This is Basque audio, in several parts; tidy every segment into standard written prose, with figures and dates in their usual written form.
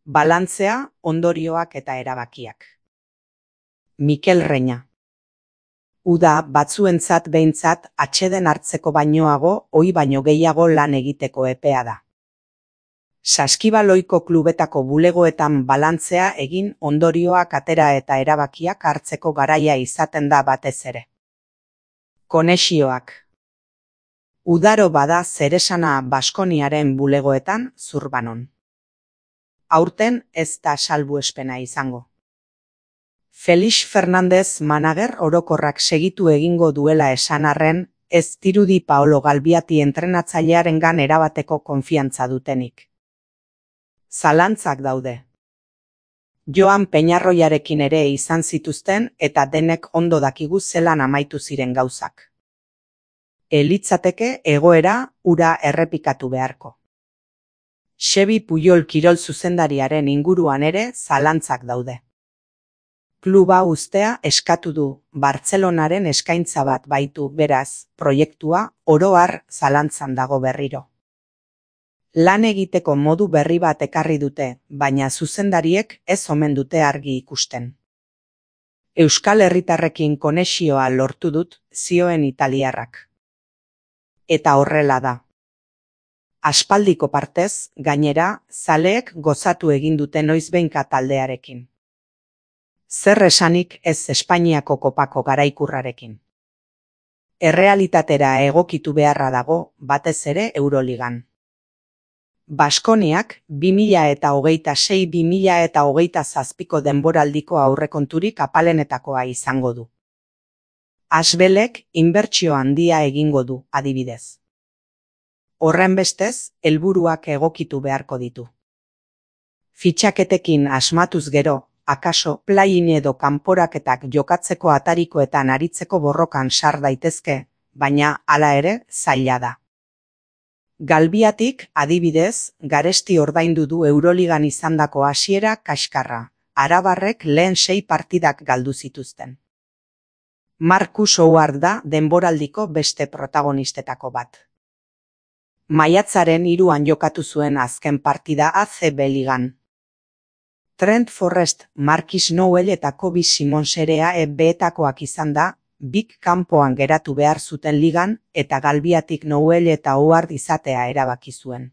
Balantzea, ondorioak eta erabakiak. Mikel Reña. Uda batzuentzat behintzat atseden hartzeko bainoago, ohi baino gehiago lan egiteko epea da. Saskibaloiko klubetako bulegoetan balantzea egin ondorioak atera eta erabakiak hartzeko garaia izaten da batez ere. Konexioak. Udaro bada zeresana Baskoniaren bulegoetan Zurbanon. Aurten ez da salbuespena izango. Felix Fernandez manager orokorrak segitu egingo duela esan arren, ez dirudi Paolo Galbiati entrenatzailearengan erabateko konfiantza dutenik. Zalantzak daude. Joan Peñarroiarekin ere izan zituzten eta denek ondo dakigu zelan amaitu ziren gauzak. Elitzateke egoera ura errepikatu beharko. Xebi Puyol kirol zuzendariaren inguruan ere zalantzak daude. Kluba uztea eskatu du, Bartzelonaren eskaintza bat baitu, beraz, proiektua oro har zalantzan dago berriro. Lan egiteko modu berri bat ekarri dute, baina zuzendariek ez omen dute argi ikusten. Euskal herritarrekin konexioa lortu dut, zioen italiarrak. Eta horrela da. Aspaldiko partez, gainera, zaleek gozatu egin dute noizbehinka taldearekin. Zer esanik ez Espainiako kopako garaikurrarekin. Errealitatera egokitu beharra dago, batez ere Euroligan. Baskoniak 2026-2027ko denboraldiko aurrekonturik apalenetakoa izango du. Asbelek inbertsio handia egingo du, adibidez. Horrenbestez, helburuak egokitu beharko ditu. Fitxaketekin asmatuz gero, akaso play-in edo kanporaketak jokatzeko atarikoetan aritzeko borrokan sar daitezke, baina hala ere zaila da. Galbiatik, adibidez, garesti ordaindu du Euroligan izandako hasiera kaskarra, arabarrek lehen 6 partidak galdu zituzten. Marcus Howard da denboraldiko beste protagonistetako bat. Maiatzaren 3an jokatu zuen azken partida ACB ligan. Trent Forrest, Markis Nowell eta Kobe Simons ere AEB-etakoak izan da, bik kanpoan geratu behar zuten ligan eta Galbiatik Nowell eta Howard izatea erabaki zuen.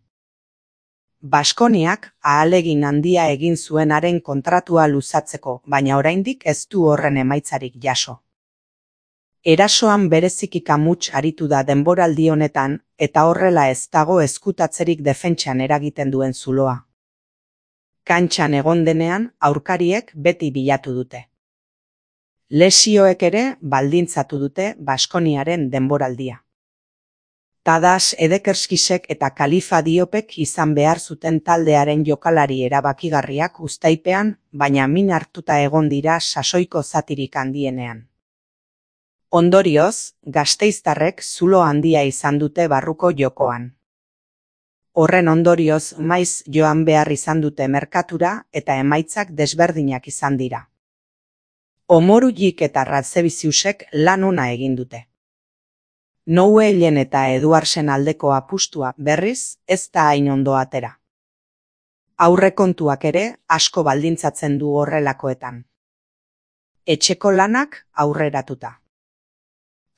Baskoniak ahalegin handia egin zuen haren kontratua luzatzeko, baina oraindik ez du horren emaitzarik jaso. Erasoan bereziki kamuts aritu da denboraldi honetan eta horrela ez dago ezkutatzerik defentsan eragiten duen zuloa. Kantxan egon denean aurkariek beti bilatu dute. Lesioek ere baldintzatu dute Baskoniaren denboraldia. Tadas Edekerskisek eta Kalifa Diopek izan behar zuten taldearen jokalari erabakigarriak uztaipean, baina min hartuta egon dira sasoiko zatirik handienean. Ondorioz, gasteiztarrek zulo handia izan dute barruko jokoan. Horren ondorioz maiz joan behar izan dute merkatura eta emaitzak desberdinak izan dira. Omorujik eta Radzeviziusek lan ona egin dute. Nowellen eta Eduardsen aldeko apustua berriz ez da hain ondo atera. Aurrekontuak ere asko baldintzatzen du horrelakoetan. Etxeko lanak aurreratuta.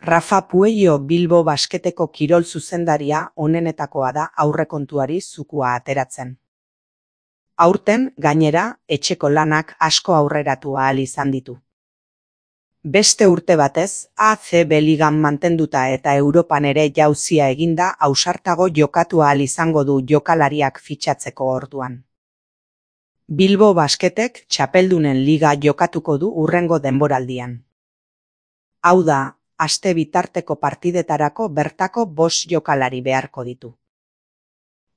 Rafa Puello Bilbo Basketeko kirol zuzendaria onenetakoa da aurrekontuari zukua ateratzen. Aurten, gainera, etxeko lanak asko aurreratu ahal izan ditu. Beste urte batez, ACB ligan mantenduta eta Europan ere jauzia eginda ausartago jokatu ahal izango du jokalariak fitxatzeko orduan. Bilbo Basketek txapeldunen liga jokatuko du hurrengo denboraldian. Hau da, aste bitarteko partidetarako bertako 5 jokalari beharko ditu.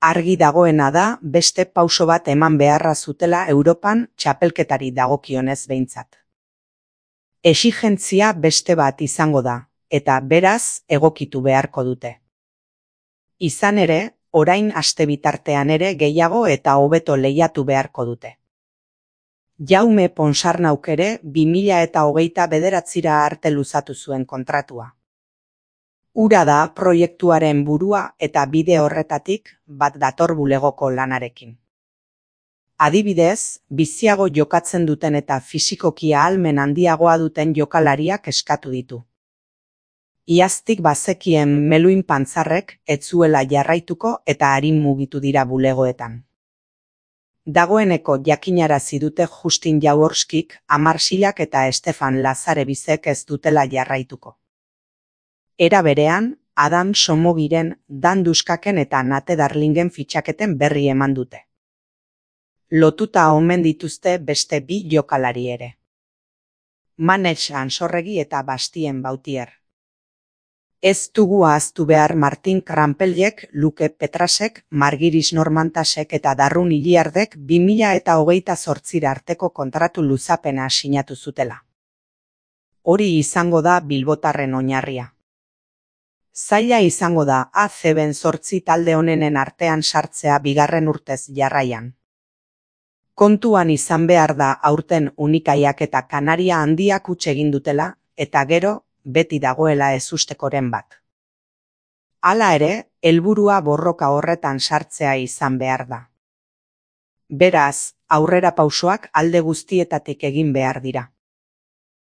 Argi dagoena da beste pauso bat eman beharra zutela Europan txapelketari dagokionez behintzat. Exigentzia beste bat izango da, eta beraz egokitu beharko dute. Izan ere, orain aste bitartean ere gehiago eta hobeto lehiatu beharko dute. Jaume Ponsarnauk ere 2029 arte luzatu zuen kontratua. Hura da proiektuaren burua eta bide horretatik bat dator bulegoko lanarekin. Adibidez, biziago jokatzen duten eta fisikoki ahalmen handiagoa duten jokalariak eskatu ditu. Iaztik bazekien Meluin Pantzarrek ez zuela jarraituko eta arin mugitu dira bulegoetan. Dagoeneko jakinarazi dute Justin Jaworskik, Amarsilak eta Stefan Lazarebizek ez dutela jarraituko. Era berean, Adam Somogiren, Dan Duskaken eta Nate Darlingen fitxaketen berri eman dute. Lotuta omen dituzte beste 2 jokalari ere. Manetx Ansorregi eta Bastien Bautier. Ez dugu ahaztu behar Martin Krampeljek, Luke Petrasek, Margiris Normantasek eta Darrun Iliardek 2028 arteko kontratu luzapena sinatu zutela. Hori izango da bilbotarren oinarria. Zaila izango da ACB-en 8 talde onenen artean sartzea bigarren urtez jarraian. Kontuan izan behar da aurten Unikaiak eta Kanaria Handiak huts egin dutela, eta gero, beti dagoela ezustekoren bat. Hala ere, helburua borroka horretan sartzea izan behar da. Beraz, aurrerapausoak alde guztietatik egin behar dira.